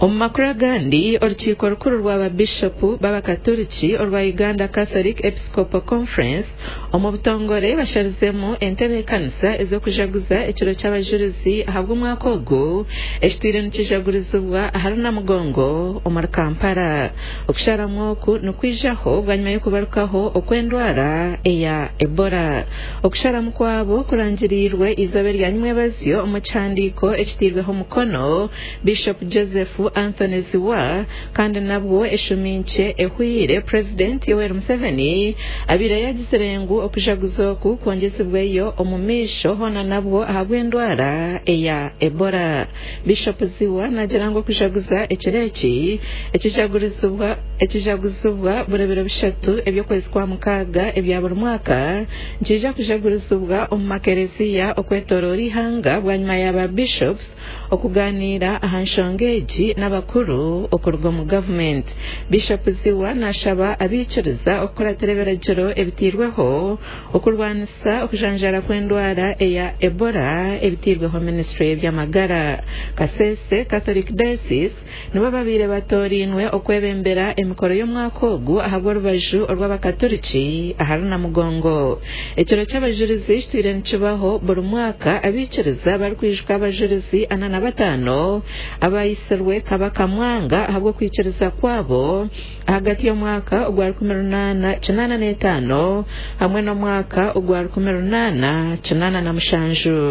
Omu makuru agandi, orukiiko rukuru rwa baabishopu b'abakaturiki orwa Uganda Catholic Episcopal Conference omu butongore basharizemu entebeekanisa ez'okujaguza ekiro ky'abajurizi ahabw'omwaka ogu ekitwire nikijagurizibwa ahari Namugongo omuri Kampala. Okusharamu oku nikwijaho bwanyima y'okubarukaho okw'endwara eya Ebola. Okusharamu kwabo kurangiriirwe eizooba erya nyimwebazyo omu kihandiiko ekitairweho omukono Bishop Joseph Anthony Zziwa kandi nabwo eshumi nkye ehweire Purezidenti Yoweri Museveni abaire yagizire ngu okujaguza oku kwongyezibweyo omu maisho hoona nabwo ahabw'endwara eya Ebola. Bishop Zziwa naagira ngu okujaguza ekiro eki ekijaguzibwa buri biro bishatu eby'okwezi kwa mukaaga ebya buri mwaka nikiija kujagurizibwa omu makereziya okwetoroora eihanga bwanyima ya ba bishops okugaaniira aha nshonga egi n'abakuru okuruga omu gavumenti. Bishop Zziwa nashaba abaikiriza okukuratira ebiragiro ebitairweho okurwanisa okujanjara kw'endwara eya Ebola ebitairweho minisitule y'eby'amagara. Kasese Catholic Diocese nibo babaire batoorainwe okwebembera emikoro y'omwaka ogu ahabw'orubaju orw'abakaturiki ahari Namugongo. Ekiro ky'abajurizi kitwire nikibaho buri mwaka abaikiriza barikwijuka abajurizi 45 abaayitsirwe Kabaka Mwanga ahabw'okwikiriza kwabo ahagati y'omwaka ogwa 1885 hamwe n'omwaka ogwa 1887.